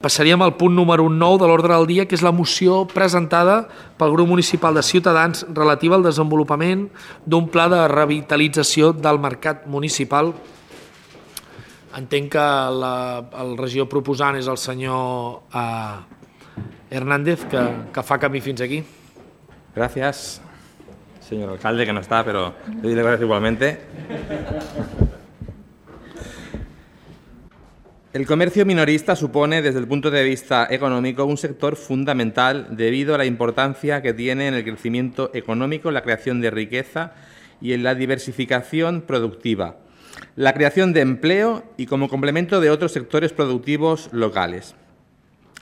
Passaríem al punt número 9 de l'ordre del dia, que és la moció presentada pel grup municipal de Ciutadans relativa al desenvolupament d'un pla de revitalització del mercat municipal. Entenc que el regidor proposant és el senyor Hernández, que fa camí fins aquí. Gracias, señor alcalde, que no está, pero le doy las gracias igualmente. El comercio minorista supone, desde el punto de vista económico, un sector fundamental debido a la importancia que tiene en el crecimiento económico, la creación de riqueza y en la diversificación productiva, la creación de empleo y como complemento de otros sectores productivos locales.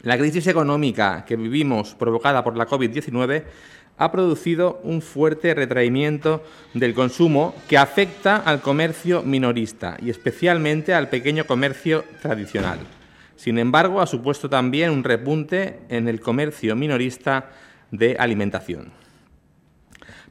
La crisis económica que vivimos, provocada por la COVID-19, ha producido un fuerte retraimiento del consumo que afecta al comercio minorista y especialmente al pequeño comercio tradicional. Sin embargo, ha supuesto también un repunte en el comercio minorista de alimentación.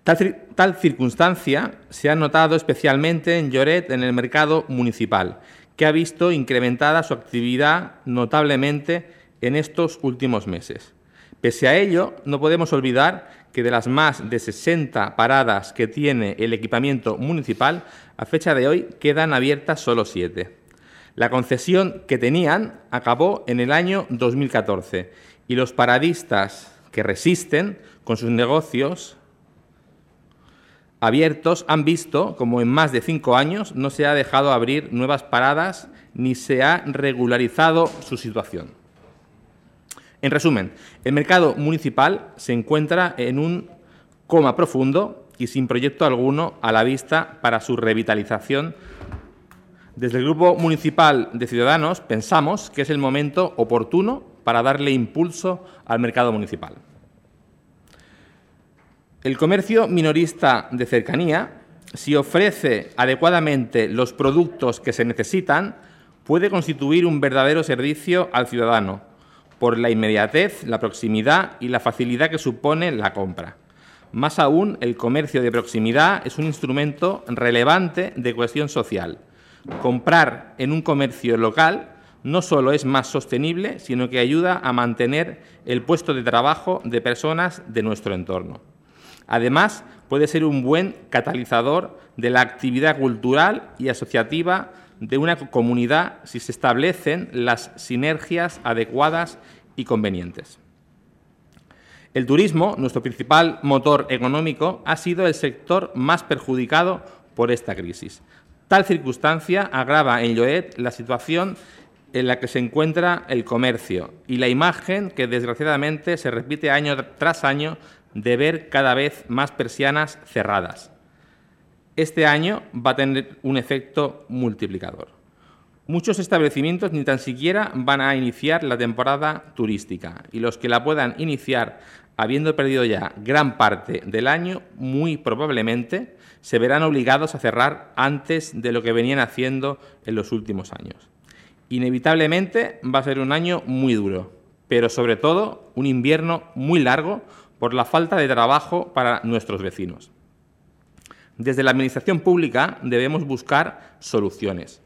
Tal circunstancia se ha notado especialmente en Lloret, en el mercado municipal, que ha visto incrementada su actividad notablemente en estos últimos meses. Pese a ello, no podemos olvidar que de las más de 60 paradas que tiene el equipamiento municipal, a fecha de hoy quedan abiertas solo 7. La concesión que tenían acabó en el año 2014 y los paradistas que resisten con sus negocios abiertos han visto como en más de 5 años no se ha dejado abrir nuevas paradas ni se ha regularizado su situación. En resumen, el mercado municipal se encuentra en un coma profundo y sin proyecto alguno a la vista para su revitalización. Desde el Grupo Municipal de Ciudadanos pensamos que es el momento oportuno para darle impulso al mercado municipal. El comercio minorista de cercanía, si ofrece adecuadamente los productos que se necesitan, puede constituir un verdadero servicio al ciudadano, por la inmediatez, la proximidad y la facilidad que supone la compra. Más aún, el comercio de proximidad es un instrumento relevante de cohesión social. Comprar en un comercio local no solo es más sostenible, sino que ayuda a mantener el puesto de trabajo de personas de nuestro entorno. Además, puede ser un buen catalizador de la actividad cultural y asociativa de una comunidad si se establecen las sinergias adecuadas y convenientes. El turismo, nuestro principal motor económico, ha sido el sector más perjudicado por esta crisis. Tal circunstancia agrava en Lloret la situación en la que se encuentra el comercio y la imagen que, desgraciadamente, se repite año tras año de ver cada vez más persianas cerradas. Este año va a tener un efecto multiplicador. Muchos establecimientos ni tan siquiera van a iniciar la temporada turística y los que la puedan iniciar, habiendo perdido ya gran parte del año, muy probablemente se verán obligados a cerrar antes de lo que venían haciendo en los últimos años. Inevitablemente va a ser un año muy duro, pero sobre todo un invierno muy largo por la falta de trabajo para nuestros vecinos. Desde la Administración pública debemos buscar soluciones.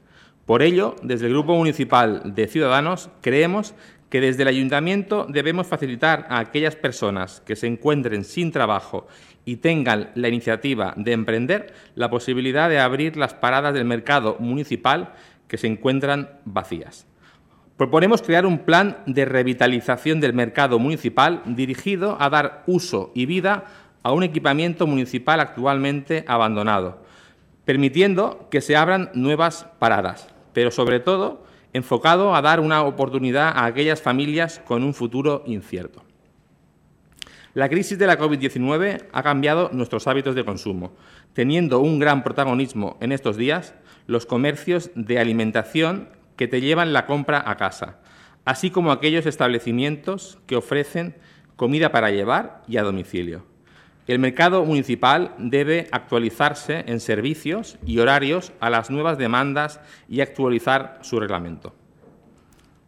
Por ello, desde el Grupo Municipal de Ciudadanos, creemos que desde el Ayuntamiento debemos facilitar a aquellas personas que se encuentren sin trabajo y tengan la iniciativa de emprender la posibilidad de abrir las paradas del mercado municipal que se encuentran vacías. Proponemos crear un plan de revitalización del mercado municipal dirigido a dar uso y vida a un equipamiento municipal actualmente abandonado, permitiendo que se abran nuevas paradas, pero sobre todo enfocado a dar una oportunidad a aquellas familias con un futuro incierto. La crisis de la COVID-19 ha cambiado nuestros hábitos de consumo, teniendo un gran protagonismo en estos días los comercios de alimentación que te llevan la compra a casa, así como aquellos establecimientos que ofrecen comida para llevar y a domicilio. El mercado municipal debe actualizarse en servicios y horarios a las nuevas demandas y actualizar su reglamento.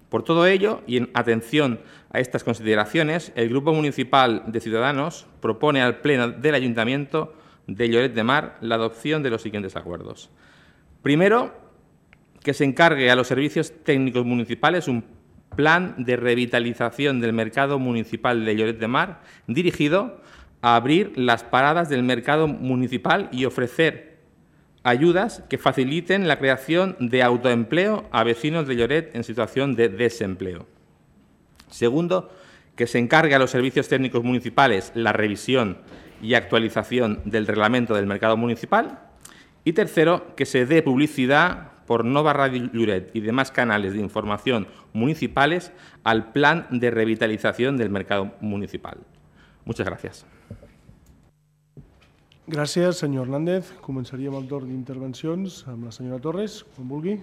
Por todo ello, y en atención a estas consideraciones, el Grupo Municipal de Ciudadanos propone al Pleno del Ayuntamiento de Lloret de Mar la adopción de los siguientes acuerdos. Primero, que se encargue a los servicios técnicos municipales un Plan de Revitalización del Mercado Municipal de Lloret de Mar, dirigido a abrir las paradas del mercado municipal y ofrecer ayudas que faciliten la creación de autoempleo a vecinos de Lloret en situación de desempleo. Segundo, que se encargue a los servicios técnicos municipales la revisión y actualización del reglamento del mercado municipal. Y tercero, que se dé publicidad por Nova Radio Lloret y demás canales de información municipales al plan de revitalización del mercado municipal. Muchas gracias. Gràcies, senyor Hernández. Començaríem el torn d'intervencions amb la senyora Torres, quan vulgui.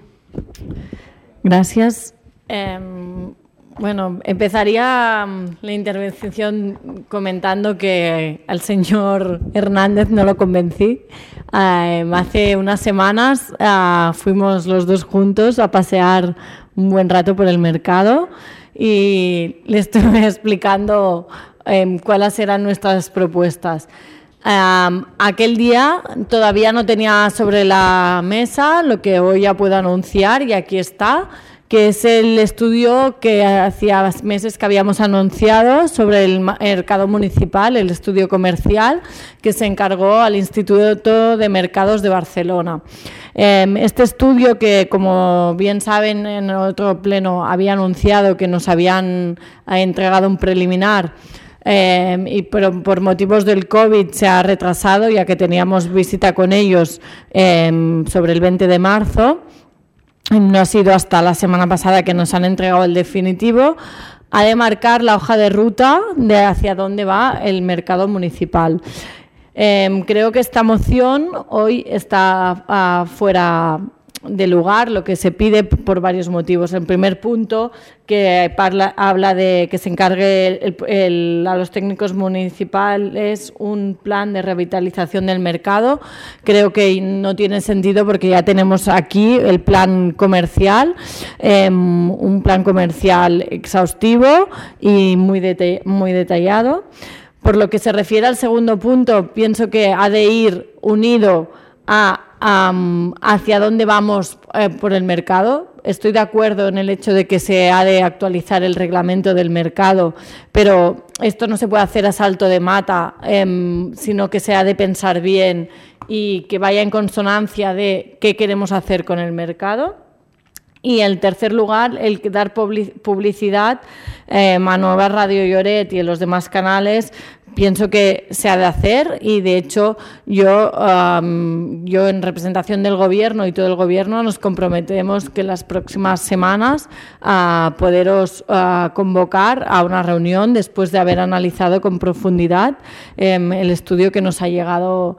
Gracias. Empezaría la intervención comentando que al señor Hernández no lo convencí. Hace unas semanas fuimos los dos juntos a pasear un buen rato por el mercado y le estuve explicando cuáles eran nuestras propuestas. Aquel día todavía no tenía sobre la mesa lo que hoy ya puedo anunciar y aquí está, que es el estudio que hacía meses que habíamos anunciado sobre el mercado municipal, el estudio comercial que se encargó al Instituto de Mercados de Barcelona. Este estudio que, como bien saben, en otro pleno había anunciado que nos habían entregado un preliminar, pero por motivos del COVID se ha retrasado, ya que teníamos visita con ellos sobre el 20 de marzo. No ha sido hasta la semana pasada que nos han entregado el definitivo. Ha de marcar la hoja de ruta de hacia dónde va el mercado municipal. Creo que esta moción hoy está fuera de lugar, lo que se pide por varios motivos. El primer punto, que habla de que se encargue a los técnicos municipales un plan de revitalización del mercado. Creo que no tiene sentido porque ya tenemos aquí el plan comercial, un plan comercial exhaustivo y muy detallado. Por lo que se refiere al segundo punto, pienso que ha de ir unido hacia dónde vamos por el mercado. Estoy de acuerdo en el hecho de que se ha de actualizar el reglamento del mercado, pero esto no se puede hacer a salto de mata, sino que se ha de pensar bien y que vaya en consonancia de qué queremos hacer con el mercado. Y en tercer lugar, el dar publicidad a Nova Radio Lloret y en los demás canales. Pienso que se ha de hacer y, de hecho, yo en representación del Gobierno y todo el Gobierno nos comprometemos que en las próximas semanas poderos convocar a una reunión después de haber analizado con profundidad el estudio que nos ha llegado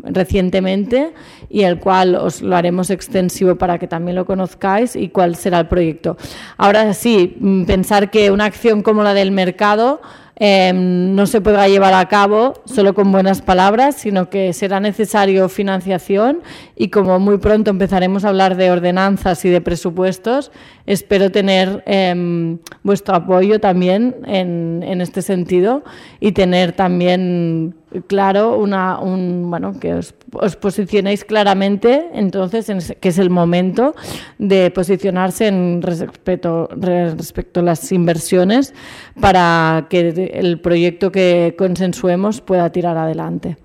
recientemente y el cual os lo haremos extensivo para que también lo conozcáis y cuál será el proyecto. Ahora sí, pensar que una acción como la del mercado no se podrá llevar a cabo solo con buenas palabras, sino que será necesario financiación y como muy pronto empezaremos a hablar de ordenanzas y de presupuestos, espero tener vuestro apoyo también en este sentido y tener también claro que os posicionéis claramente entonces, que es el momento de posicionarse respecto a las inversiones para que el proyecto que consensuemos pueda tirar adelante.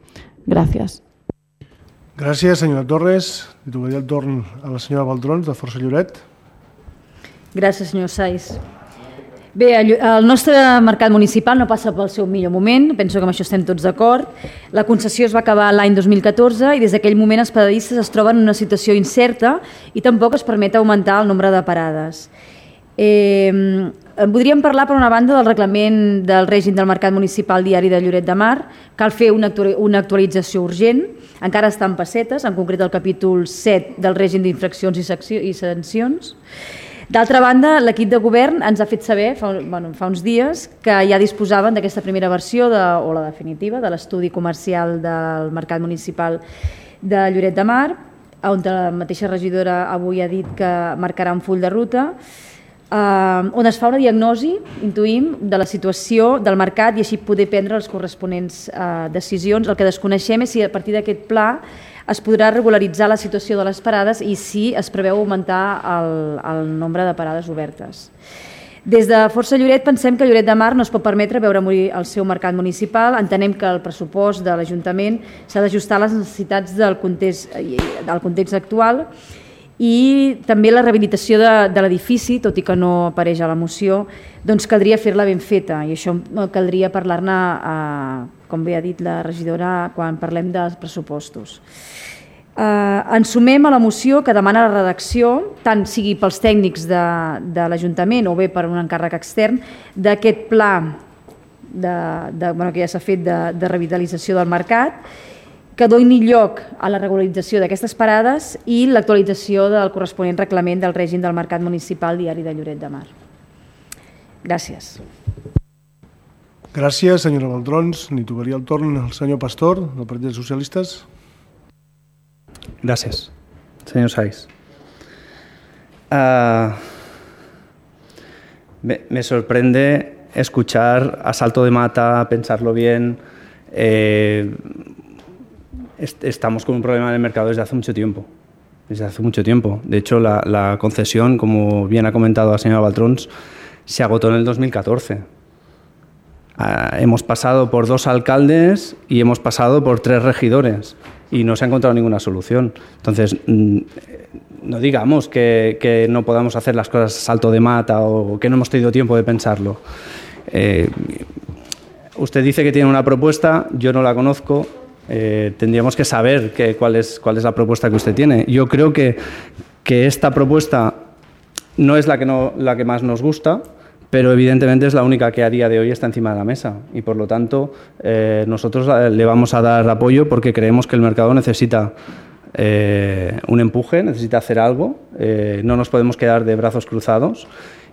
Gràcies. Gràcies, senyora Torres. Li tocaria el torn a la senyora Baltrons, de Força Lloret. Gràcies, senyor Sais. Bé, el nostre mercat municipal no passa pel seu millor moment, penso que amb això estem tots d'acord. La concessió es va acabar l'any 2014 i des d'aquell moment els paradistes es troben en una situació incerta i tampoc es permet augmentar el nombre de parades. Podríem parlar, per una banda, del reglament del règim del mercat municipal diari de Lloret de Mar. Cal fer una actualització urgent, encara està en pessetes, en concret el capítol 7 del règim d'infraccions i sancions. D'altra banda, l'equip de govern ens ha fet saber fa uns dies que ja disposaven d'aquesta primera versió, o la definitiva, de l'estudi comercial del mercat municipal de Lloret de Mar, on la mateixa regidora avui ha dit que marcarà un full de ruta, on es fa una diagnosi, intuïm, de la situació del mercat i així poder prendre les corresponents decisions. El que desconeixem és si a partir d'aquest pla es podrà regularitzar la situació de les parades i si es preveu augmentar el nombre de parades obertes. Des de Força Lloret pensem que Lloret de Mar no es pot permetre veure morir el seu mercat municipal. Entenem que el pressupost de l'Ajuntament s'ha d'ajustar a les necessitats del context actual i també la rehabilitació de l'edifici, tot i que no apareix a la moció, doncs caldria fer-la ben feta i això caldria parlar-ne, com bé ha dit la regidora, quan parlem dels pressupostos. Ens sumem a la moció que demana la redacció, tant sigui pels tècnics de l'Ajuntament o bé per un encàrrec extern, d'aquest pla que ja s'ha fet de revitalització del mercat, que doni lloc a la regularització d'aquestes parades i l'actualització del corresponent reglament del règim del mercat municipal diari de Lloret de Mar. Gràcies. Gràcies, senyora Baltrons. Li tocaria el torn al senyor Pastor, del Partit dels Socialistes. Gracias, señor Saiz. Me sorprende escuchar a salto de mata, pensarlo bien. Estamos con un problema en el mercado desde hace mucho tiempo. De hecho, la concesión, como bien ha comentado la señora Baltrons, se agotó en el 2014. Hemos pasado por 2 alcaldes y hemos pasado por 3 regidores y no se ha encontrado ninguna solución. Entonces, no digamos que no podamos hacer las cosas a salto de mata o que no hemos tenido tiempo de pensarlo. Usted dice que tiene una propuesta, yo no la conozco. Tendríamos que saber cuál es la propuesta que usted tiene. Yo creo que esta propuesta no es la que más nos gusta, pero evidentemente es la única que a día de hoy está encima de la mesa y por lo tanto nosotros le vamos a dar apoyo porque creemos que el mercado necesita un empuje, necesita hacer algo, no nos podemos quedar de brazos cruzados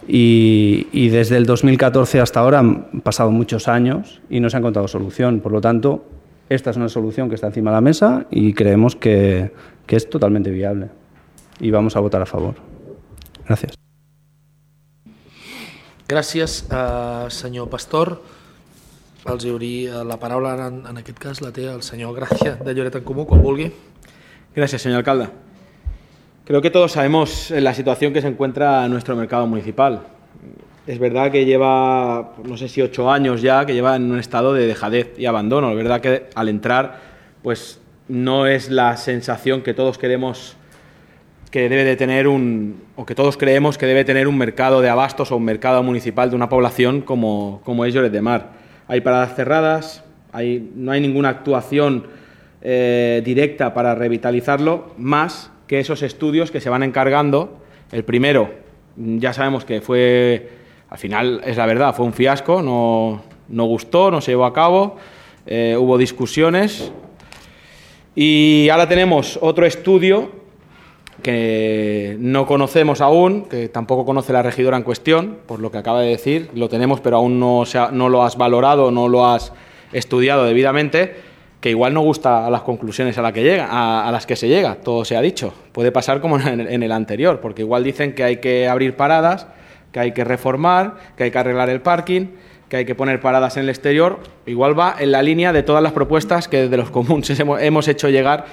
y desde el 2014 hasta ahora han pasado muchos años y no se ha encontrado solución, por lo tanto esta es una solución que está encima de la mesa y creemos que es totalmente viable y vamos a votar a favor. Gracias. Gràcies, senyor Pastor. Els obrir la paraula, en aquest cas la té el senyor Gràcia de Lloret en Comú, quan vulgui. Gracias, señor alcalde. Creo que todos sabemos la situación que se encuentra nuestro mercado municipal. Es verdad que lleva, no sé si 8 años ya, que lleva en un estado de dejadez y abandono. Es verdad que al entrar, pues no es la sensación que todos queremos que debe de tener o que todos creemos que debe tener un mercado de abastos o un mercado municipal de una población como es Lloret de Mar. Hay paradas cerradas, no hay ninguna actuación directa para revitalizarlo, más que esos estudios que se van encargando. El primero, ya sabemos que fue, al final es la verdad, fue un fiasco, no gustó, no se llevó a cabo, hubo discusiones y ahora tenemos otro estudio que no conocemos aún, que tampoco conoce la regidora en cuestión, por lo que acaba de decir, lo tenemos pero aún no lo has valorado, no lo has estudiado debidamente, que igual no gusta a las conclusiones a las que se llega, todo se ha dicho. Puede pasar como en el anterior, porque igual dicen que hay que abrir paradas, que hay que reformar, que hay que arreglar el parking, que hay que poner paradas en el exterior, igual va en la línea de todas las propuestas que desde los comunes hemos hecho llegar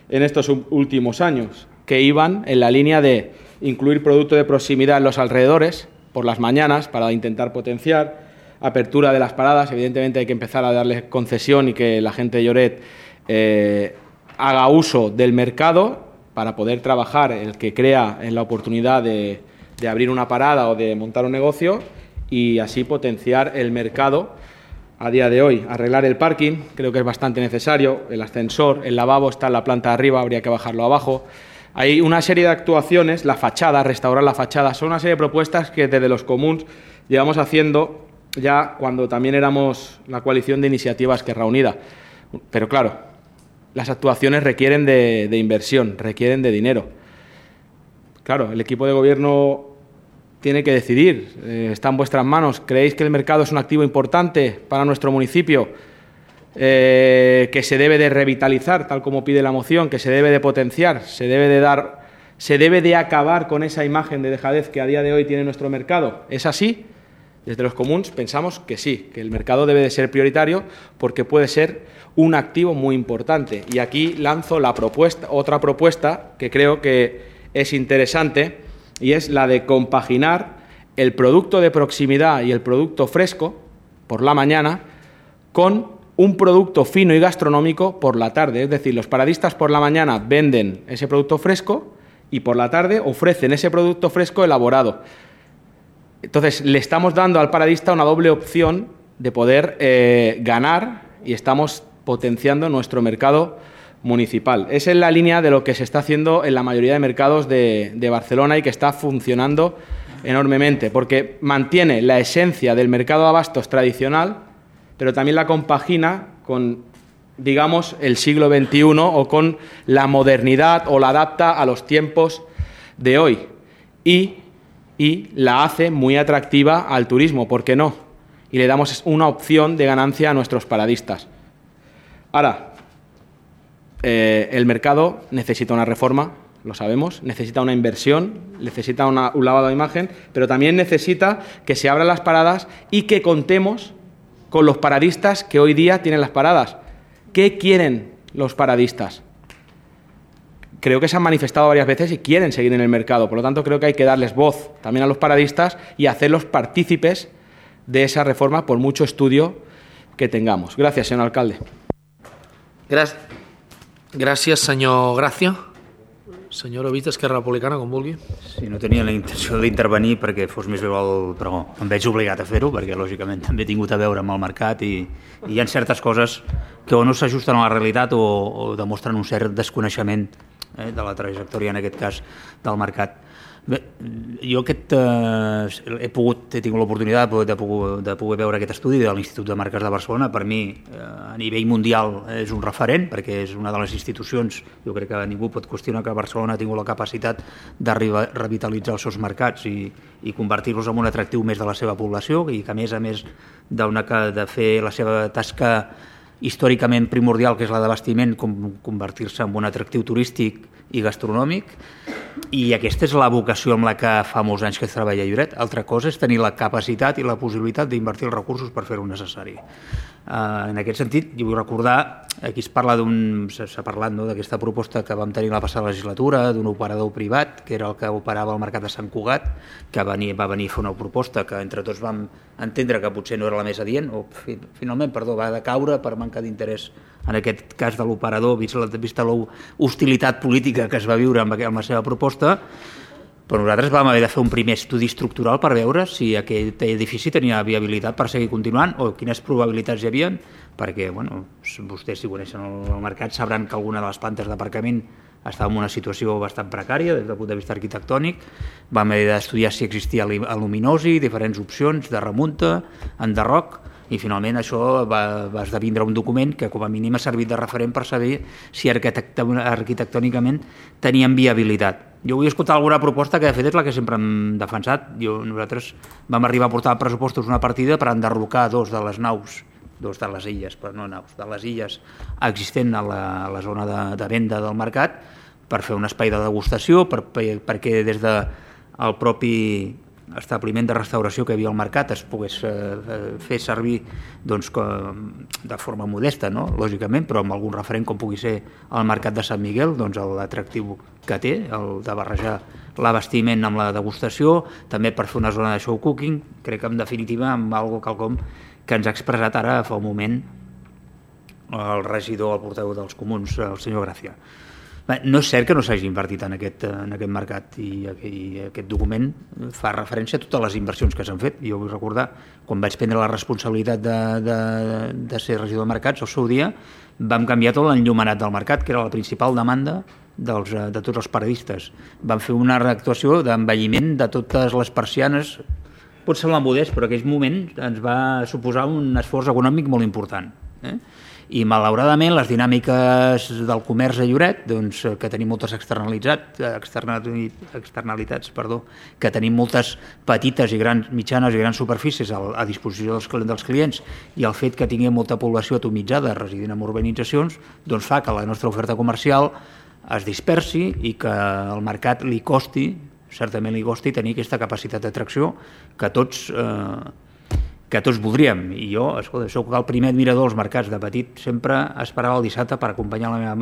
en estos últimos años, que iban en la línea de incluir producto de proximidad en los alrededores por las mañanas para intentar potenciar, apertura de las paradas, evidentemente hay que empezar a darle concesión y que la gente de Lloret haga uso del mercado para poder trabajar, el que crea en la oportunidad de abrir una parada o de montar un negocio y así potenciar el mercado a día de hoy. Arreglar el parking, creo que es bastante necesario, el ascensor, el lavabo está en la planta de arriba, habría que bajarlo abajo. Hay una serie de actuaciones, la fachada, restaurar la fachada, son una serie de propuestas que desde los comuns llevamos haciendo ya cuando también éramos la coalición de iniciativas Esquerra Unida. Pero claro, las actuaciones requieren de inversión, requieren de dinero. Claro, el equipo de gobierno tiene que decidir, está en vuestras manos. ¿Creéis que el mercado es un activo importante para nuestro municipio? Que se debe de revitalizar, tal como pide la moción, que se debe de potenciar, se debe de acabar con esa imagen de dejadez que a día de hoy tiene nuestro mercado. ¿Es así? Desde los comuns pensamos que sí, que el mercado debe de ser prioritario porque puede ser un activo muy importante. Y aquí lanzo otra propuesta que creo que es interesante y es la de compaginar el producto de proximidad y el producto fresco por la mañana con un producto fino y gastronómico por la tarde. Es decir, los paradistas por la mañana venden ese producto fresco y por la tarde ofrecen ese producto fresco elaborado. Entonces, le estamos dando al paradista una doble opción de poder ganar y estamos potenciando nuestro mercado municipal. Esa es la línea de lo que se está haciendo en la mayoría de mercados de Barcelona y que está funcionando enormemente, porque mantiene la esencia del mercado de abastos tradicional, pero también la compagina con, digamos, el siglo XXI o con la modernidad o la adapta a los tiempos de hoy. Y la hace muy atractiva al turismo, ¿por qué no? Y le damos una opción de ganancia a nuestros paradistas. Ahora, el mercado necesita una reforma, lo sabemos, necesita una inversión, necesita un lavado de imagen, pero también necesita que se abran las paradas y que contemos con los paradistas que hoy día tienen las paradas. ¿Qué quieren los paradistas? Creo que se han manifestado varias veces y quieren seguir en el mercado. Por lo tanto, creo que hay que darles voz también a los paradistas y hacerlos partícipes de esa reforma por mucho estudio que tengamos. Gracias, señor alcalde. Gràcies, senyor Gràcia. Senyor Ovich, d'Esquerra Republicana, com vulgui. Sí, no tenia la intenció d'intervenir perquè fos més breu el pregó. Em veig obligat a fer-ho perquè, lògicament, també he tingut a veure amb el mercat i hi ha certes coses que o no s'ajusten a la realitat o demostren un cert desconeixement de la trajectòria, en aquest cas, del mercat. Bé, jo he tingut l'oportunitat de poder veure aquest estudi de l'Institut de Marques de Barcelona. Per mi, a nivell mundial, és un referent, perquè és una de les institucions, jo crec que ningú pot qüestionar que Barcelona ha tingut la capacitat de revitalitzar els seus mercats i convertir-los en un atractiu més de la seva població i que, a més de fer la seva tasca històricament primordial, que és la d'abastiment, convertir-se en un atractiu turístic i gastronòmic, i aquesta és la vocació amb la que fa molts anys que es treballa a Lloret. Altra cosa és tenir la capacitat i la possibilitat d'invertir els recursos per fer-ho necessari. En aquest sentit, jo vull recordar, aquí s'ha parlat d'aquesta proposta que vam tenir la passada legislatura, d'un operador privat, que era el que operava el mercat de Sant Cugat, que va venir a fer una proposta que entre tots vam entendre que potser no era la més adient, o finalment, va decaure per manca d'interès, en aquest cas de l'operador, vista l'hostilitat política que es va viure amb la seva proposta. Però nosaltres vam haver de fer un primer estudi estructural per veure si aquest edifici tenia viabilitat per seguir continuant o quines probabilitats hi havia, perquè vostès, si coneixen el mercat, sabran que alguna de les plantes d'aparcament estava en una situació bastant precària des del punt de vista arquitectònic. Vam haver d'estudiar si existia aluminosi, diferents opcions de remunta, enderroc, i finalment això va esdevindre un document que com a mínim ha servit de referent per saber si arquitectònicament tenien viabilitat. Jo vull escoltar alguna proposta que de fet és la que sempre hem defensat. Nosaltres vam arribar a portar a pressupostos una partida per enderrocar dos de les illes, però no naus, de les illes existent a la zona de venda del mercat, per fer un espai de degustació, perquè des del propi establiment de restauració que hi havia al mercat es pogués fer servir de forma modesta, lògicament, però amb algun referent com pugui ser el mercat de Sant Miguel, l'atractiu que té, el de barrejar l'abastiment amb la degustació, també per fer una zona de show cooking, crec que en definitiva amb quelcom que ens ha expressat ara fa un moment el regidor, el portaveu dels comuns, el senyor Gràcia. No és cert que no s'hagi invertit en aquest mercat i aquest document fa referència a totes les inversions que s'han fet. Jo vull recordar, quan vaig prendre la responsabilitat de ser regidor de mercats, al seu dia vam canviar tot l'enllumenat del mercat, que era la principal demanda de tots els paradistes. Vam fer una actuació d'envelliment de totes les persianes. Pot semblar modest, però en aquell moment ens va suposar un esforç econòmic molt important. I malauradament les dinàmiques del comerç a Lloret, que tenim moltes externalitats, que tenim moltes petites i mitjanes i grans superfícies a disposició dels clients, i el fet que tinguem molta població atomitzada residint en urbanitzacions, fa que la nostra oferta comercial es dispersi i que al mercat certament li costi tenir aquesta capacitat d'atracció que tots que tots voldríem. I jo, escolta, soc el primer admirador dels mercats. De petit sempre esperava el dissabte per acompanyar la meva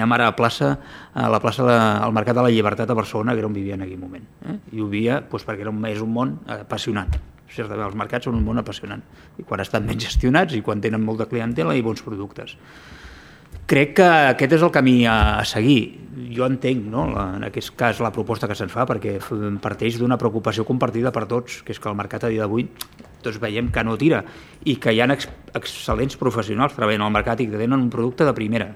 mare al Mercat de la Llibertat a Barcelona, que era on vivia en aquell moment. I ho vivia perquè és un món apassionant. Certament, els mercats són un món apassionant. I quan estan ben gestionats i quan tenen molta clientela i bons productes. Crec que aquest és el camí a seguir. Jo entenc, no?, en aquest cas, la proposta que se'ns fa, perquè parteix d'una preocupació compartida per tots, que és que el mercat a dia d'avui tots veiem que no tira i que hi ha excel·lents professionals treballant al mercat i que tenen un producte de primera.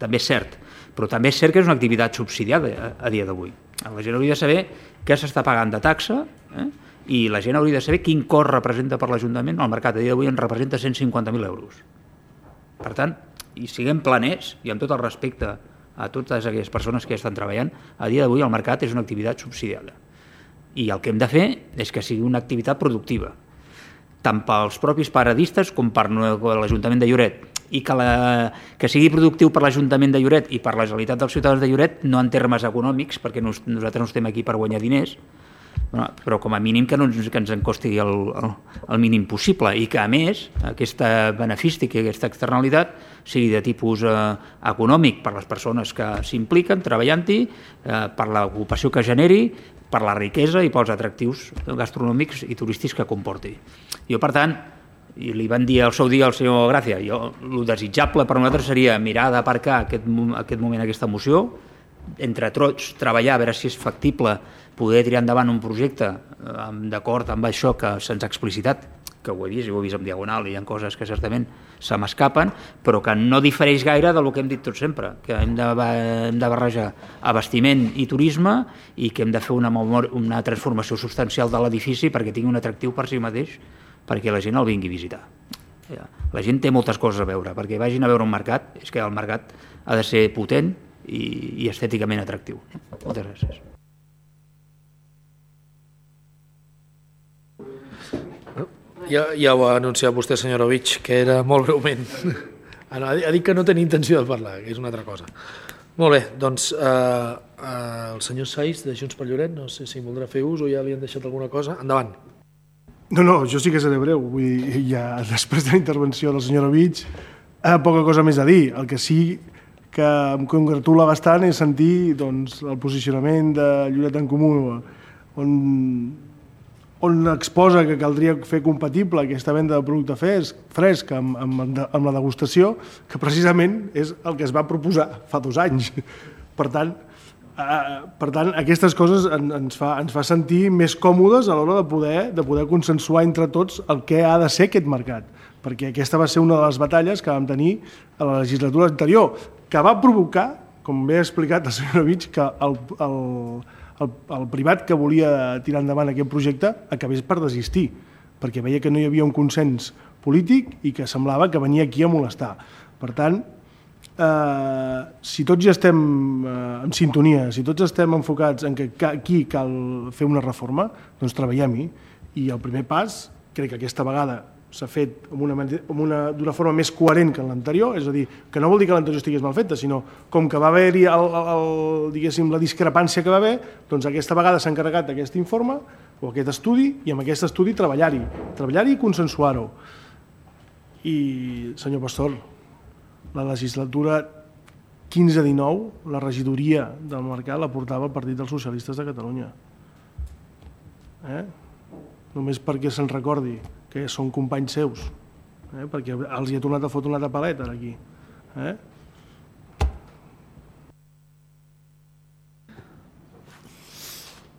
També és cert, però també és cert que és una activitat subsidiada a dia d'avui. La gent hauria de saber què s'està pagant de taxa i la gent hauria de saber quin cost representa per l'Ajuntament. El mercat a dia d'avui en representa 150.000 euros. Per tant, i siguem planers, i amb tot el respecte a totes aquelles persones que hi estan treballant, a dia d'avui el mercat és una activitat subsidiada. I el que hem de fer és que sigui una activitat productiva, tant pels propis paradistes com per l'Ajuntament de Lloret. I que sigui productiu per l'Ajuntament de Lloret i per la Generalitat dels Ciutadans de Lloret, no en termes econòmics, perquè nosaltres no estem aquí per guanyar diners, però com a mínim que ens en costi el mínim possible i que, a més, aquesta benefici, aquesta externalitat sigui de tipus econòmic per les persones que s'impliquen treballant-hi, per l'ocupació que generi, per la riquesa i pels atractius gastronòmics i turístics que comporti. Jo, per tant, i li van dir al seu dia al senyor Gràcia, el desitjable per nosaltres seria mirar d'aparcar aquest moment, aquesta moció, entre tots treballar a veure si és factible poder tirar endavant un projecte d'acord amb això que se'ns ha explicitat, que ho he vist en diagonal i hi ha coses que certament se m'escapen, però que no difereix gaire del que hem dit tot sempre, que hem de barrejar abastiment i turisme i que hem de fer una transformació substancial de l'edifici perquè tingui un atractiu per si mateix, perquè la gent el vingui a visitar. La gent té moltes coses a veure, perquè vagin a veure un mercat, és que el mercat ha de ser potent i estèticament atractiu. Moltes gràcies. Ja ho ha anunciat vostè, senyor Ovich, que era molt breument. Ha dit que no tenia intenció de parlar, que és una altra cosa. Molt bé, doncs el senyor Saiz, de Junts per Lloret, no sé si voldrà fer ús o ja li han deixat alguna cosa. Endavant. No, jo sí que seré breu. Vull dir, ja després de la intervenció del senyor Ovich, poca cosa més a dir. El que sí que em congratula bastant és sentir el posicionament de Lloret en Comú, on exposa que caldria fer compatible aquesta venda de producte fresc amb la degustació, que precisament és el que es va proposar fa 2 anys. Per tant, aquestes coses ens fa sentir més còmodes a l'hora de poder consensuar entre tots el que ha de ser aquest mercat, perquè aquesta va ser una de les batalles que vam tenir a la legislatura anterior, que va provocar, com bé ha explicat el senyor Ovich, que el privat que volia tirar endavant aquest projecte acabés per desistir, perquè veia que no hi havia un consens polític i que semblava que venia aquí a molestar. Per tant, si tots ja estem en sintonia, si tots estem enfocats en que aquí cal fer una reforma, doncs treballem-hi. I el primer pas, crec que aquesta vegada s'ha fet d'una forma més coherent que en l'anterior, és a dir, que no vol dir que l'anterior estigués mal feta, sinó com que va haver-hi la discrepància que va haver, doncs aquesta vegada s'ha encarregat d'aquest informe o aquest estudi i amb aquest estudi treballar-hi i consensuar-ho. I, senyor Pastor, la legislatura 15-19, la regidoria del mercat la portava el Partit dels Socialistes de Catalunya. Només perquè se'n recordi que són companys seus, perquè els hi ha tornat a fotre una altra paleta aquí.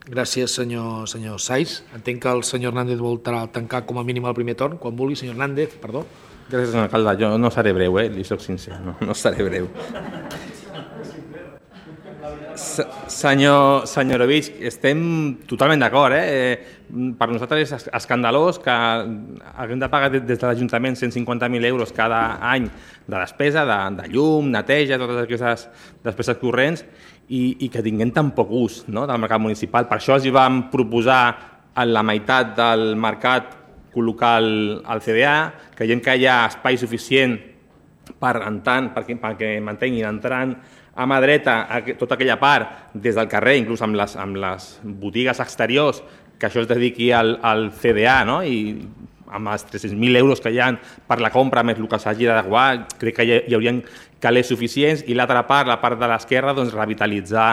Gràcies, senyor Saiz. Entenc que el senyor Hernández vol tancar com a mínim el primer torn. Quan vulgui, senyor Hernández, perdó. Gràcies, senyor alcalde. Jo no seré breu, li soc sincer, no seré breu. Senyor Ovich, estem totalment d'acord. Per nosaltres és escandalós que haguem de pagar des de l'Ajuntament 150.000 euros cada any de despesa, de llum, neteja, totes aquestes despeses corrents, i que tinguem tan poc ús del mercat municipal. Per això els hi vam proposar en la meitat del mercat col·locar el CDA, creiem que hi ha espai suficient perquè mantenguin entrant a mà dreta tota aquella part des del carrer, inclús amb les botigues exteriors que això es dediqui al CDA, no? I amb els 300.000 euros que hi ha per la compra més el que s'hagi d'adequar, crec que hi haurien calés suficients, i l'altra part, la part de l'esquerra, doncs revitalitzar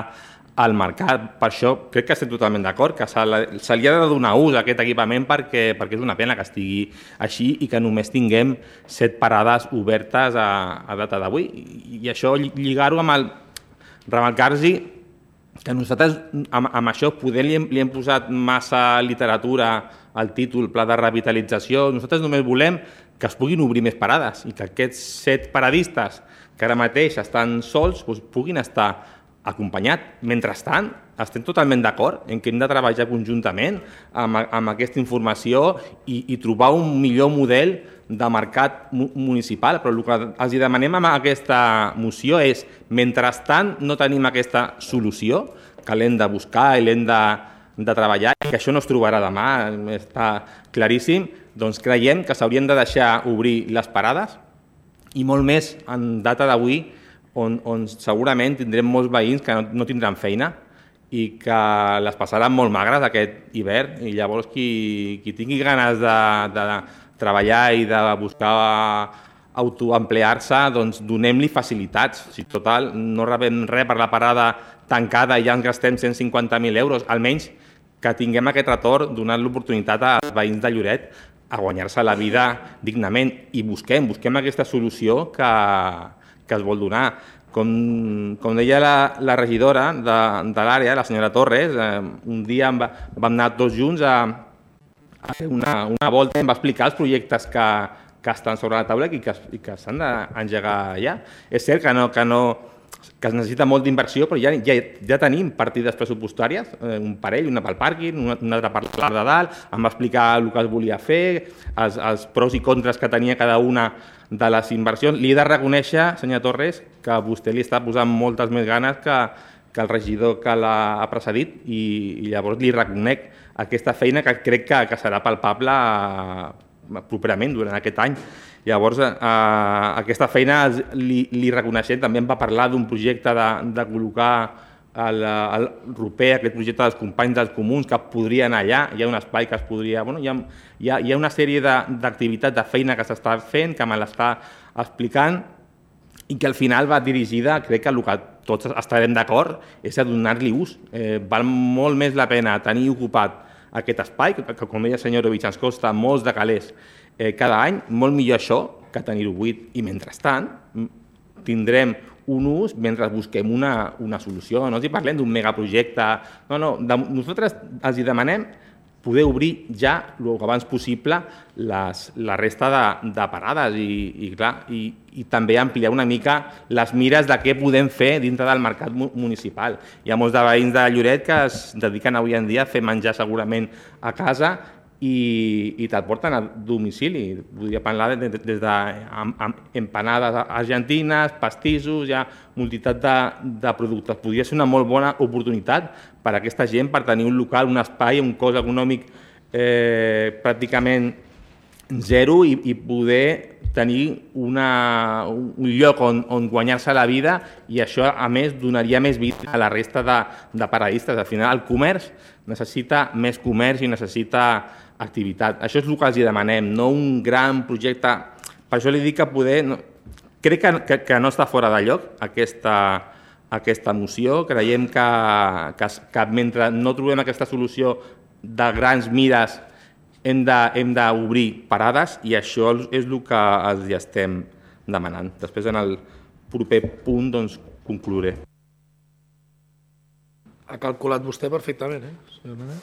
el mercat. Per això crec que estem totalment d'acord, que se li ha de donar ús a aquest equipament perquè és una pena que estigui així i que només tinguem 7 parades obertes a data d'avui. I això lligar-ho amb el remarcar-hi que nosaltres amb això poder li hem posat massa literatura al títol Pla de Revitalització. Nosaltres només volem que es puguin obrir més parades i que aquests 7 paradistes que ara mateix estan sols puguin estar acompanyats. Mentrestant, estem totalment d'acord en que hem de treballar conjuntament amb aquesta informació i trobar un millor model de mercat municipal, però el que els demanem amb aquesta moció és, mentrestant no tenim aquesta solució, que l'hem de buscar i l'hem de treballar, i que això no es trobarà demà, està claríssim, doncs creiem que s'haurien de deixar obrir les parades, i molt més en data d'avui, on segurament tindrem molts veïns que no tindran feina i que les passaran molt magres aquest hivern, i llavors qui tingui ganes de treballar i de buscar autoemplear-se, doncs donem-li facilitats. Si total no rebem res per la parada tancada i ja ens gastem 150.000 euros, almenys que tinguem aquest retorn, donant l'oportunitat als veïns de Lloret a guanyar-se la vida dignament, i busquem aquesta solució que es vol donar. Com deia la regidora de l'àrea, la senyora Torres, un dia vam anar tots junts a fer una volta i em va explicar els projectes que estan sobre la taula i que s'han d'engegar ja. És cert que es necessita molt d'inversió, però ja tenim partides pressupostàries, un parell, una pel pàrquing, una altra per la de dalt, em va explicar el que es volia fer, els pros i contres que tenia cada una de les inversions. Li he de reconèixer, senyor Torres, que vostè li està posant moltes més ganes que el regidor que l'ha precedit, i llavors li reconec aquesta feina que crec que serà palpable properament durant aquest any. Llavors, aquesta feina li reconeixem. També em va parlar d'un projecte de col·locar el Roper, aquest projecte dels companys dels comuns, que podria anar allà. Hi ha un espai que es podria... Hi ha una sèrie d'activitats de feina que s'està fent, que me l'està explicant, i que al final va dirigida, crec que el que tots estarem d'acord, és a donar-li ús. Val molt més la pena tenir ocupat aquest espai, que com deia el senyor Ovich, ens costa molts de calés cada any, molt millor això que tenir-ho buit, i mentrestant tindrem un ús mentre busquem una solució. No els parlem d'un megaprojecte, nosaltres els demanem poder obrir ja el que abans possible la resta de parades i també ampliar una mica les mires de què podem fer dintre del mercat municipal. Hi ha molts de veïns de Lloret que es dediquen avui en dia a fer menjar segurament a casa i te'l porten a domicili. Podria parlar des d'empanades argentines, pastissos, hi ha multitud de productes. Podria ser una molt bona oportunitat per a aquesta gent per tenir un local, un espai, un cost econòmic pràcticament zero i poder tenir un lloc on guanyar-se la vida, i això, a més, donaria més vida a la resta de paradistes. Al final, el comerç necessita més comerç i necessita activitat. Això és el que els demanem, no un gran projecte. Per això li dic que crec que no està fora de lloc aquesta moció. Creiem que mentre no trobem aquesta solució de grans mires hem d'obrir parades, i això és el que els estem demanant. Després, en el proper punt, doncs, conclouré. Ha calculat vostè perfectament, senyor Nanet?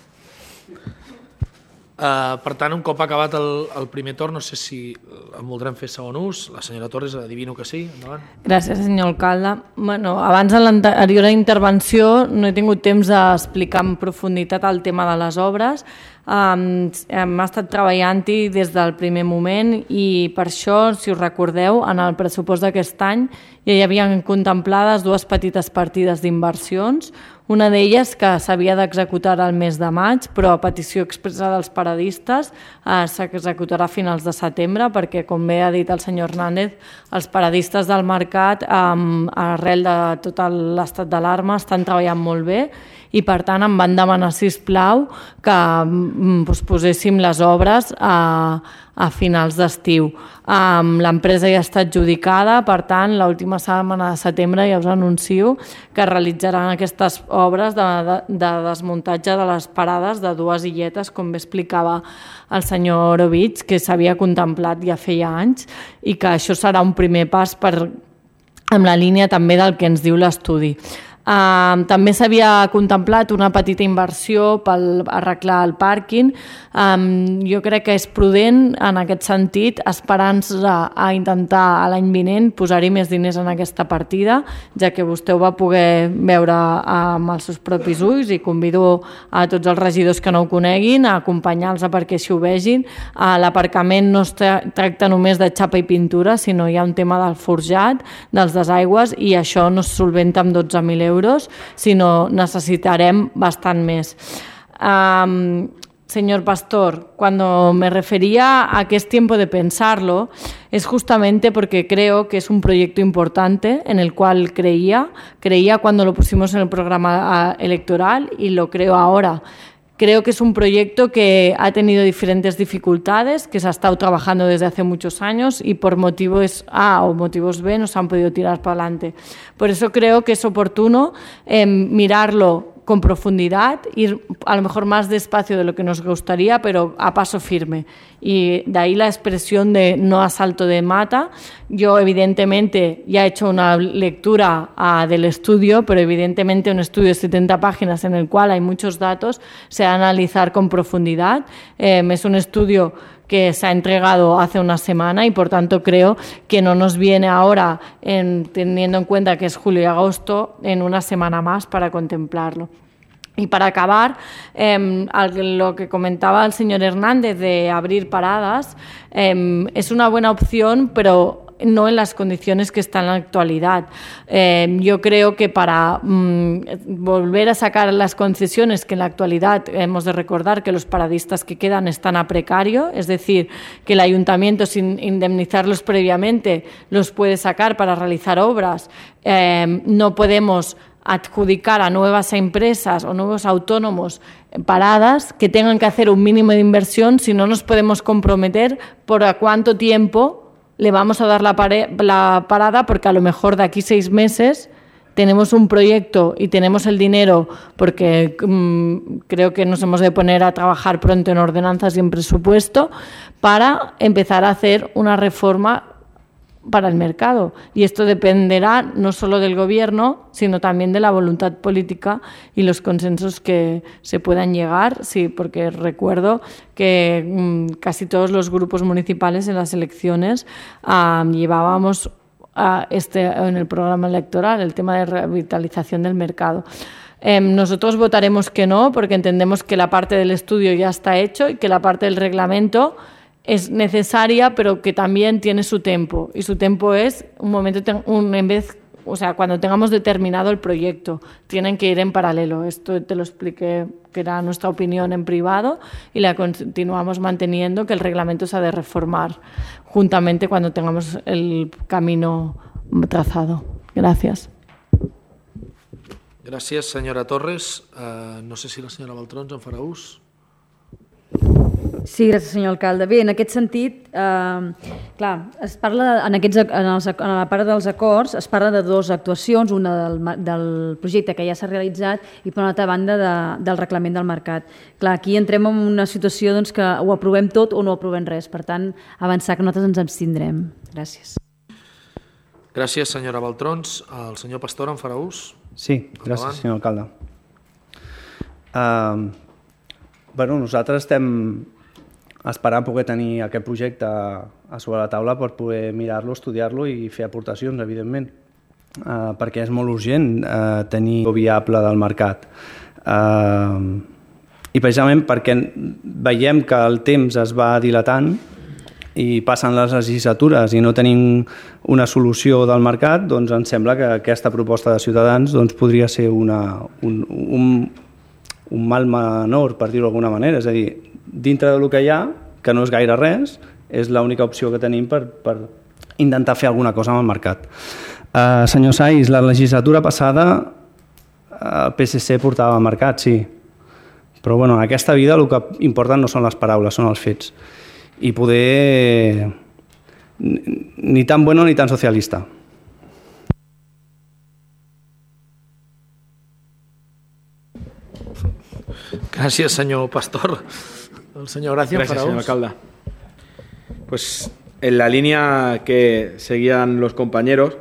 Per tant, un cop acabat el primer torn, no sé si en voldrem fer segon ús. La senyora Torres, adivino que sí. Endavant. Gràcies, senyor alcalde. Abans de l'anterior intervenció no he tingut temps d'explicar en profunditat el tema de les obres. Hem estat treballant-hi des del primer moment, i per això, si us recordeu, en el pressupost d'aquest any ja hi havien contemplades dues petites partides d'inversions. Una d'elles que s'havia d'executar al mes de maig, però a petició expressa dels paradistes s'executarà a finals de setembre, perquè, com bé ha dit el senyor Hernández, els paradistes del mercat, arrel de tot l'estat d'alarma, estan treballant molt bé, i per tant em van demanar, sisplau, que poséssim les obres a finals d'estiu. L'empresa ja està adjudicada, per tant, l'última setmana de setembre ja us anuncio que realitzaran aquestes obres de desmuntatge de les parades de 2 illetes, com bé explicava el senyor Orovitz, que s'havia contemplat ja feia anys, i que això serà un primer pas en la línia també del que ens diu l'estudi. També s'havia contemplat una petita inversió per arreglar el pàrquing. Jo crec que és prudent en aquest sentit, esperant-se a intentar l'any vinent posar-hi més diners en aquesta partida, ja que vostè ho va poder veure amb els seus propis ulls, i convido a tots els regidors que no ho coneguin a acompanyar-los perquè així ho vegin. L'aparcament no es tracta només de xapa i pintura, sinó hi ha un tema del forjat, dels desaigües, i això no es solventa amb 12.000 euros, sinó necesitarem bastant més. Señor Pastor, cuando me refería a que es tiempo de pensarlo, es justamente porque creo que es un proyecto importante en el cual creía cuando lo pusimos en el programa electoral y lo creo ahora. Creo que es un proyecto que ha tenido diferentes dificultades, que se ha estado trabajando desde hace muchos años y por motivos A o motivos B no se han podido tirar para adelante. Por eso creo que es oportuno mirarlo con profundidad, ir a lo mejor más despacio de lo que nos gustaría, pero a paso firme. Y de ahí la expresión de no a salto de mata. Yo evidentemente ya he hecho una lectura del estudio, pero evidentemente un estudio de 70 páginas en el cual hay muchos datos, se va a analizar con profundidad. Es un estudio que se ha entregado hace una semana y por tanto creo que no nos viene ahora, teniendo en cuenta que es julio y agosto, en una semana más para contemplarlo. Y para acabar, lo que comentaba el señor Hernández de abrir paradas, es una buena opción, pero no en las condiciones que está en la actualidad. Yo creo que para volver a sacar las concesiones, que en la actualidad hemos de recordar que los paradistas que quedan están a precario, es decir, que el ayuntamiento sin indemnizarlos previamente los puede sacar para realizar obras, no podemos adjudicar a nuevas empresas o nuevos autónomos paradas que tengan que hacer un mínimo de inversión, si no nos podemos comprometer por a cuánto tiempo le vamos a dar la parada, porque a lo mejor de aquí 6 meses tenemos un proyecto y tenemos el dinero, porque creo que nos hemos de poner a trabajar pronto en ordenanzas y en presupuesto para empezar a hacer una reforma para el mercado. Y esto dependerá no solo del Gobierno, sino también de la voluntad política y los consensos que se puedan llegar. Sí, porque recuerdo que casi todos los grupos municipales en las elecciones llevábamos en el programa electoral el tema de revitalización del mercado. Nosotros votaremos que no, porque entendemos que la parte del estudio ya está hecho y que la parte del reglamento es necesaria, pero que también tiene su tiempo, y su tiempo es cuando tengamos determinado el proyecto, tienen que ir en paralelo. Esto te lo expliqué, que era nuestra opinión en privado, y la continuamos manteniendo, que el reglamento se ha de reformar juntamente cuando tengamos el camino trazado. Gracias. Gràcies, senyora Torres. No sé si la senyora Baltrons en farà ús. Sí, gràcies, senyor alcalde. Bé, en aquest sentit, clar, es parla en la part dels acords, es parla de 2 actuacions, una del projecte que ja s'ha realitzat i per una altra banda del reglament del mercat. Clar, aquí entrem en una situació que ho aprovem tot o no aprovem res, per tant, avançar que nosaltres ens abstindrem. Gràcies. Gràcies, senyora Baltrons. El senyor Pastor en farà ús? Sí, gràcies, senyor alcalde. Nosaltres estem esperant poder tenir aquest projecte a sobre la taula per poder mirar-lo, estudiar-lo i fer aportacions, evidentment, perquè és molt urgent tenir viable del mercat. I precisament perquè veiem que el temps es va dilatant i passen les legislatures i no tenim una solució del mercat, doncs ens sembla que aquesta proposta de Ciutadans podria ser un mal menor, per dir-ho d'alguna manera. És a dir, dintre del que hi ha, que no és gaire res, és l'única opció que tenim per intentar fer alguna cosa amb el mercat. Senyor Saiz, la legislatura passada el PSC portava al mercat, sí. Però bueno, en aquesta vida el que importa no són les paraules, són els fets. I poder... ni tan bueno ni tan socialista. Gràcies, senyor Pastor. El senyor Gracia. Gracias, señor alcalde. Pues en la línea que seguían los compañeros,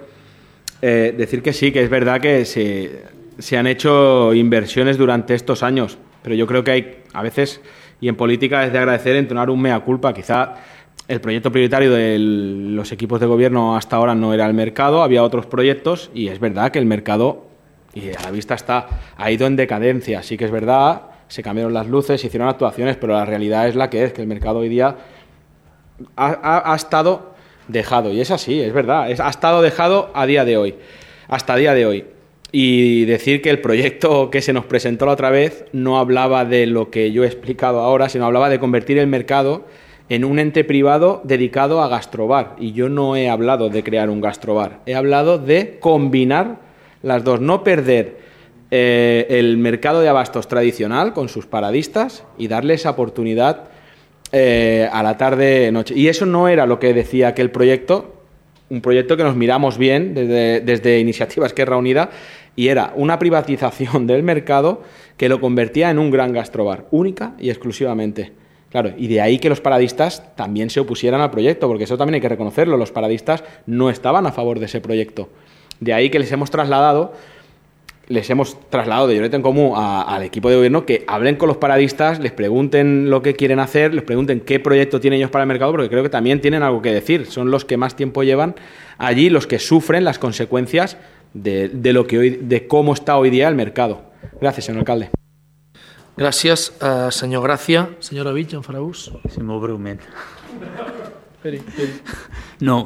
decir que sí, que es verdad que se han hecho inversiones durante estos años, pero yo creo que hay, a veces, y en política es de agradecer entonar un mea culpa. Quizá el proyecto prioritario de los equipos de gobierno hasta ahora no era el mercado, había otros proyectos, y es verdad que el mercado, y a la vista está, ha ido en decadencia. Sí que es verdad, se cambiaron las luces, se hicieron actuaciones, pero la realidad es la que es, que el mercado hoy día ha estado dejado, y es así, es verdad, ha estado dejado a día de hoy, hasta día de hoy. Y decir que el proyecto que se nos presentó la otra vez no hablaba de lo que yo he explicado ahora, sino hablaba de convertir el mercado en un ente privado dedicado a gastrobar. Y yo no he hablado de crear un gastrobar, he hablado de combinar las dos, no perder el mercado de abastos tradicional con sus paradistas y darle esa oportunidad a la tarde-noche. Y eso no era lo que decía aquel proyecto, un proyecto que nos miramos bien desde Iniciativa Esquerra Unida, y era una privatización del mercado que lo convertía en un gran gastrobar, única y exclusivamente. Claro, y de ahí que los paradistas también se opusieran al proyecto, porque eso también hay que reconocerlo, los paradistas no estaban a favor de ese proyecto. De ahí que les hemos trasladado de Lloret en Comú al equipo de gobierno que hablen con los paradistas, les pregunten lo que quieren hacer, les pregunten qué proyecto tienen ellos para el mercado, porque creo que también tienen algo que decir. Son los que más tiempo llevan allí, los que sufren las consecuencias de cómo está hoy día el mercado. Gracias, señor alcalde. Gràcies, senyor Gràcia. Senyora Vitge, en farà ús? Sí, molt breument. Esperi. No,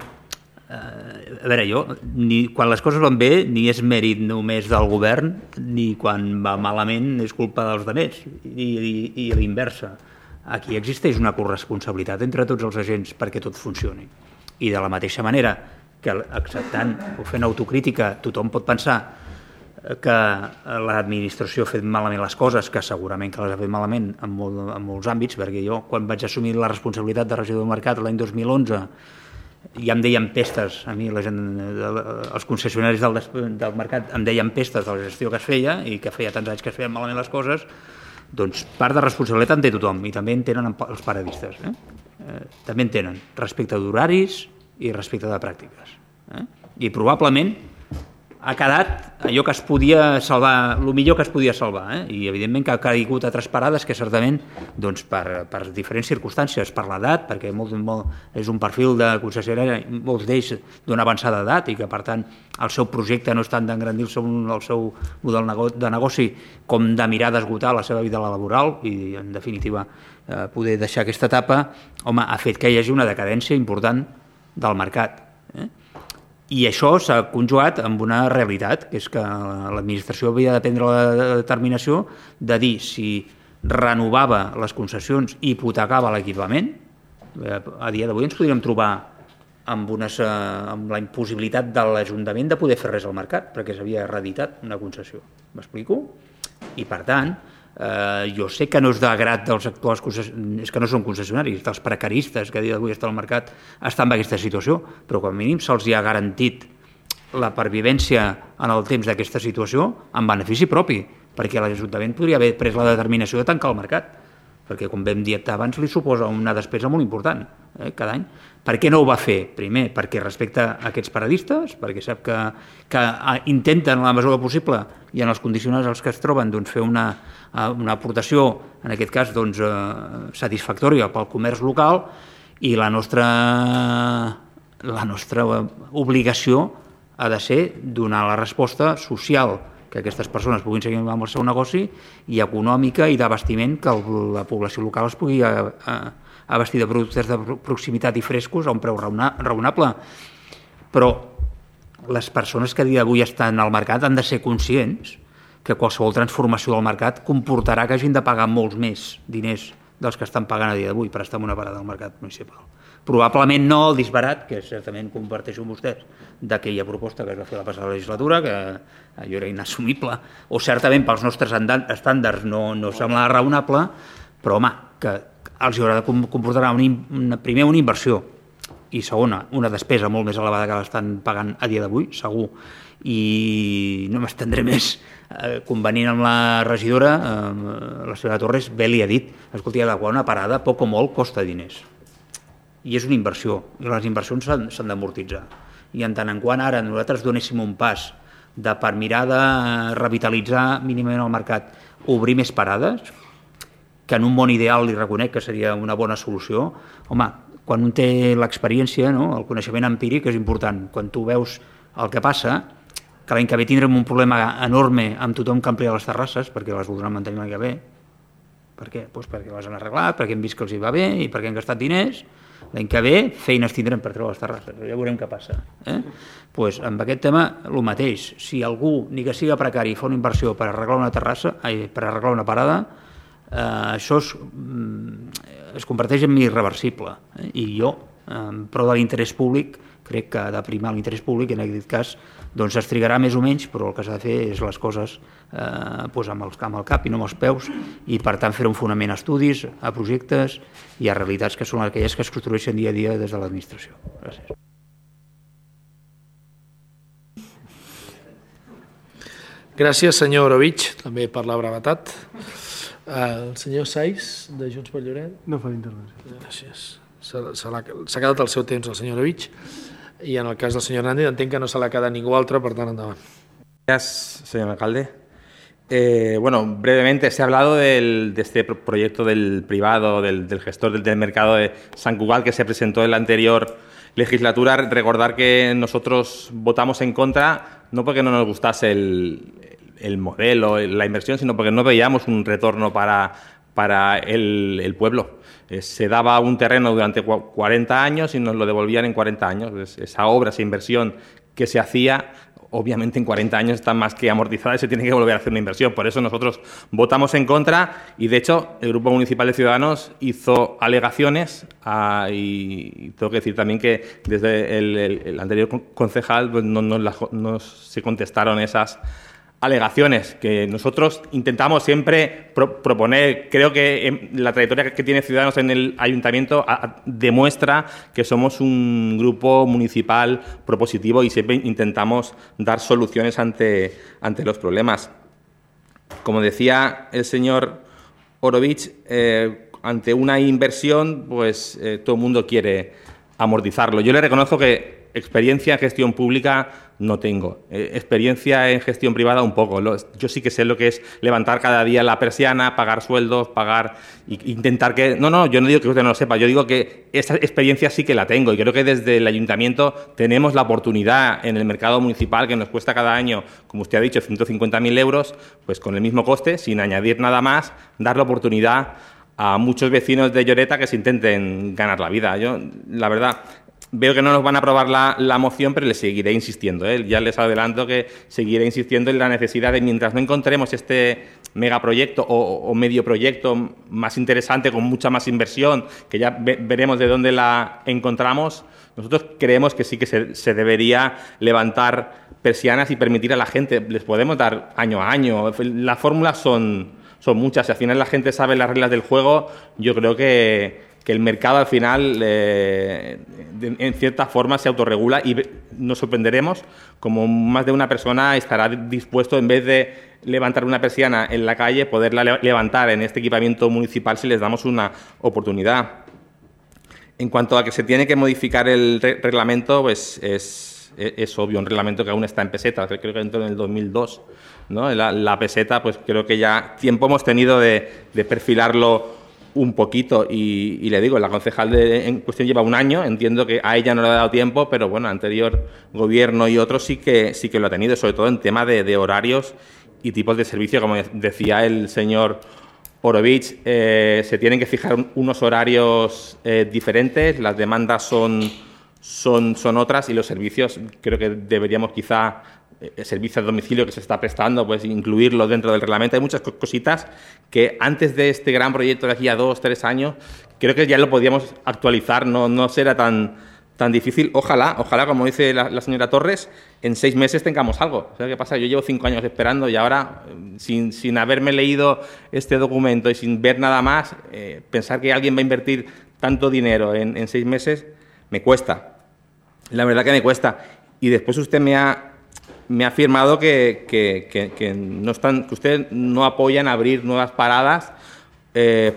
a veure, jo, quan les coses van bé, ni és mèrit només del govern, ni quan va malament és culpa dels altres, i a l'inversa. Aquí existeix una corresponsabilitat entre tots els agents perquè tot funcioni. I de la mateixa manera que acceptant o fent autocrítica tothom pot pensar que l'administració ha fet malament les coses, que segurament que les ha fet malament en molts àmbits, perquè jo, quan vaig assumir la responsabilitat de regidor del mercat l'any 2011, ja em deien pestes, a mi la gent, els concessionaris del mercat em deien pestes de la gestió que es feia i que feia tants anys que es feien malament les coses, doncs part de responsabilitat en té tothom, i també en tenen els paradistes. També en tenen respecte d'horaris i respecte de pràctiques. I probablement ha quedat allò que es podia salvar, el millor que es podia salvar, i evidentment que ha caigut a tres parades, que certament doncs, per diferents circumstàncies, per l'edat, perquè és un perfil de concessionari, molts d'ells d'una avançada edat, i que per tant el seu projecte no és tant d'engrandir-se el seu model de negoci com de mirar d'esgotar la seva vida laboral i en definitiva poder deixar aquesta etapa, home, ha fet que hi hagi una decadència important del mercat. I això s'ha conjugat amb una realitat, que és que l'administració havia de prendre la determinació de dir si renovava les concessions i hipotecava l'equipament. A dia d'avui ens podríem trobar amb la impossibilitat de l'Ajuntament de poder fer res al mercat, perquè s'havia reeditat una concessió. M'explico? I per tant, jo sé que no és de grat dels actuals concessionaris, és que no són concessionaris, dels precaristes que a dia d'avui estan al mercat estan en aquesta situació, però com a mínim se'ls ha garantit la pervivència en el temps d'aquesta situació en benefici propi, perquè l'Ajuntament podria haver pres la determinació de tancar el mercat, perquè com vam dir abans li suposa una despesa molt important cada any. Per què no ho va fer? Primer, perquè respecta a aquests paradistes, perquè sap que intenten en la mesura possible i en els condicionants als que es troben fer una aportació, en aquest cas satisfactòria pel comerç local, i la nostra obligació ha de ser donar la resposta social que aquestes persones puguin seguir amb el seu negoci i econòmica i d'abastiment que la població local es pugui abastir de productes de proximitat i frescos a un preu raonable. Però les persones que a dia d'avui estan al mercat han de ser conscients que qualsevol transformació del mercat comportarà que hagin de pagar molts més diners dels que estan pagant a dia d'avui per estar en una parada del mercat municipal. Probablement no el disbarat, que certament comparteixo amb vostès, d'aquella proposta que es va fer la passada legislatura, que allò era inassumible, o certament pels nostres estàndards no semblava raonable, però home, que els haurà de comportar primer una inversió i segona, una despesa molt més elevada que l'estan pagant a dia d'avui, segur. I no m'estendré més. Convenint amb la regidora, la senyora Torres bé li ha dit, escolti, adequar una parada poc o molt costa diners. I és una inversió, i les inversions s'han d'amortitzar. I en tant en quant ara nosaltres donéssim un pas per mirar de revitalitzar mínimament el mercat, obrir més parades, que en un món ideal li reconec que seria una bona solució, home, quan un té l'experiència, el coneixement empíric és important. Quan tu veus el que passa, que l'any que ve tindrem un problema enorme amb tothom que amplia les terrasses, perquè les voldran mantenir l'any que ve. Per què? Doncs perquè les han arreglat, perquè hem vist que els hi va bé i perquè han gastat diners. L'any que ve feines tindrem per treure les terrasses, ja veurem què passa. Doncs amb aquest tema el mateix. Si algú, ni que siga precari, fa una inversió per arreglar una terrassa, per arreglar una parada, això es converteix en irreversible. I jo, en pro de l'interès públic, crec que ha de primar l'interès públic, en aquest cas doncs es trigarà més o menys, però el que s'ha de fer és les coses amb el cap i no amb els peus, i per tant fer un fonament a estudis, a projectes i a realitats que són aquelles que es construeixen dia a dia des de l'administració. Gràcies. Gràcies, senyor Orovich, també per la brevetat. El senyor Saiz, de Junts per Lloret. No fa intervenció. Gràcies. S'ha quedat el seu temps el senyor Orovich, i en el cas del senyor Hernández entenc que no se l'ha quedat ningú altre, per tant, endavant. Gracias, señor alcalde. Brevemente, se ha hablado de este proyecto del privado, del gestor del mercado de Sant Cugat, que se presentó en la anterior legislatura. Recordar que nosotros votamos en contra, no porque no nos gustase el modelo, la inversión, sino porque no veíamos un retorno para el pueblo. Se daba un terreno durante 40 años y nos lo devolvían en 40 años. Esa obra, esa inversión que se hacía, obviamente en 40 años está más que amortizada y se tiene que volver a hacer una inversión. Por eso nosotros votamos en contra y, de hecho, el Grupo Municipal de Ciudadanos hizo alegaciones y tengo que decir también que desde el anterior concejal pues, no se contestaron esas alegaciones que nosotros intentamos siempre proponer. Creo que la trayectoria que tiene Ciudadanos en el Ayuntamiento demuestra que somos un grupo municipal propositivo y siempre intentamos dar soluciones ante los problemas. Como decía el señor Orovich, ante una inversión, pues todo el mundo quiere amortizarlo. Yo le reconozco que experiencia en gestión pública no tengo. Experiencia en gestión privada un poco. Yo sí que sé lo que es levantar cada día la persiana, pagar sueldos, intentar que... No, yo no digo que usted no lo sepa, yo digo que esa experiencia sí que la tengo y creo que desde el Ayuntamiento tenemos la oportunidad en el mercado municipal, que nos cuesta cada año, como usted ha dicho, 150.000 euros, pues con el mismo coste, sin añadir nada más, dar la oportunidad a muchos vecinos de Lloreta que se intenten ganar la vida. Yo, la verdad... Veo que no nos van a aprobar la moción, pero le seguiré insistiendo. Ya les adelanto que seguiré insistiendo en la necesidad de, mientras no encontremos este megaproyecto o medio proyecto más interesante, con mucha más inversión, que ya veremos de dónde la encontramos, nosotros creemos que sí que se debería levantar persianas y permitir a la gente, les podemos dar año a año. Las fórmulas son muchas. Si al final la gente sabe las reglas del juego, yo creo que el mercado al final en cierta forma se autorregula y nos sorprenderemos como más de una persona estará dispuesto, en vez de levantar una persiana en la calle, poderla levantar en este equipamiento municipal si les damos una oportunidad. En cuanto a que se tiene que modificar el reglamento, pues es obvio, un reglamento que aún está en peseta, creo que entró en el 2002, ¿no? La peseta, pues creo que ya tiempo hemos tenido de perfilarlo un poquito y le digo, la concejal en cuestión lleva un año, entiendo que a ella no le ha dado tiempo, pero bueno, anterior gobierno y otros sí que lo ha tenido, sobre todo en tema de horarios y tipos de servicio, como decía el señor Orovich, se tienen que fijar unos horarios diferentes, las demandas son otras y los servicios creo que deberíamos quizá el servicio a domicilio que se está prestando, pues incluirlo dentro del reglamento. Hay muchas cositas que antes de este gran proyecto de aquí a 2 o 3 años, creo que ya lo podíamos actualizar, no será tan difícil. Ojalá, como dice la señora Torres, en 6 meses tengamos algo. ¿Sabes qué pasa? Yo llevo 5 años esperando y ahora, sin haberme leído este documento y sin ver nada más, pensar que alguien va a invertir tanto dinero en 6 meses, me cuesta. La verdad que me cuesta. Y después usted me ha afirmado que usted no apoya en abrir nuevas paradas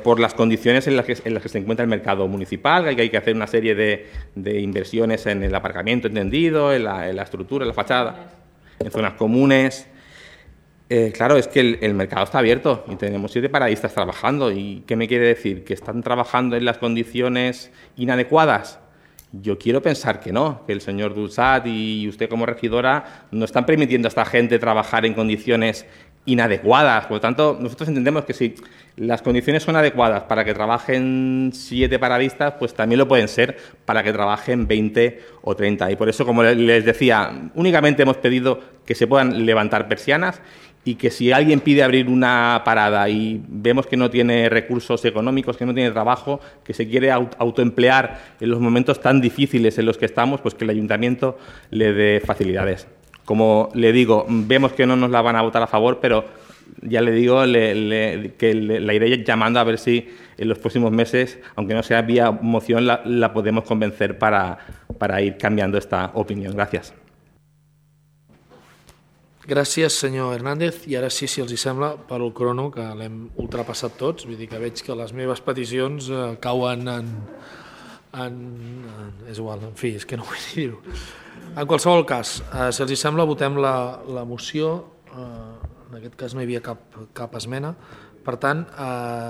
por las condiciones en las que se encuentra el mercado municipal, que hay que hacer una serie de inversiones en el aparcamiento entendido, en la estructura, en la fachada, en zonas comunes. Claro, es que el mercado está abierto y tenemos 7 paradistas trabajando. ¿Y qué me quiere decir? ¿Que están trabajando en las condiciones inadecuadas? Yo quiero pensar que no, que el señor Dulzat y usted como regidora no están permitiendo a esta gente trabajar en condiciones inadecuadas. Por lo tanto, nosotros entendemos que si las condiciones son adecuadas para que trabajen 7 paradistas, pues también lo pueden ser para que trabajen 20 o 30. Y por eso, como les decía, únicamente hemos pedido que se puedan levantar persianas y que si alguien pide abrir una parada y vemos que no tiene recursos económicos, que no tiene trabajo, que se quiere autoemplear en los momentos tan difíciles en los que estamos, pues que el ayuntamiento le dé facilidades. Como le digo, vemos que no nos la van a votar a favor, pero ya le digo que la iré llamando a ver si en los próximos meses, aunque no sea vía moción, la podemos convencer para ir cambiando esta opinión. Gracias. Gràcies, senyor Hernández. I ara sí, si els hi sembla, per al crono, que l'hem ultrapassat tots, vull dir que veig que les meves peticions cauen és igual, en fi, és que no vull dir-ho. En qualsevol cas, si els hi sembla, votem la moció. En aquest cas no hi havia cap esmena. Per tant,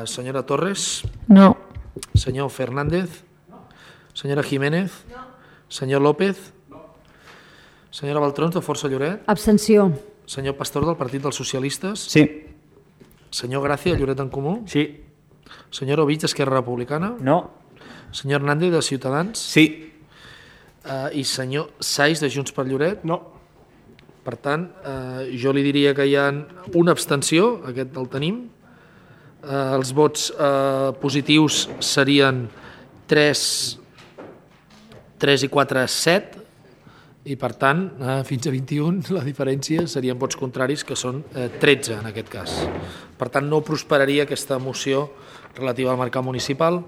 senyora Torres? No. Senyor Fernández? Senyora Jiménez? No. Senyor López? Senyora Baltrons, de Força Lloret? Abstenció. Senyor Pastor, del Partit dels Socialistes? Sí. Senyor Gràcia, de Lloret en Comú? Sí. Senyor Ovich, d'Esquerra Republicana? No. Senyor Hernández, de Ciutadans? Sí. I senyor Saiz, de Junts per Lloret? No. Per tant, jo li diria que hi ha una abstenció, aquest el tenim. Els vots positius serien 3 i 4, 7, i per tant, fins a 21 la diferència serien vots contraris, que són 13 en aquest cas. Per tant, no prosperaria aquesta moció relativa al mercat municipal.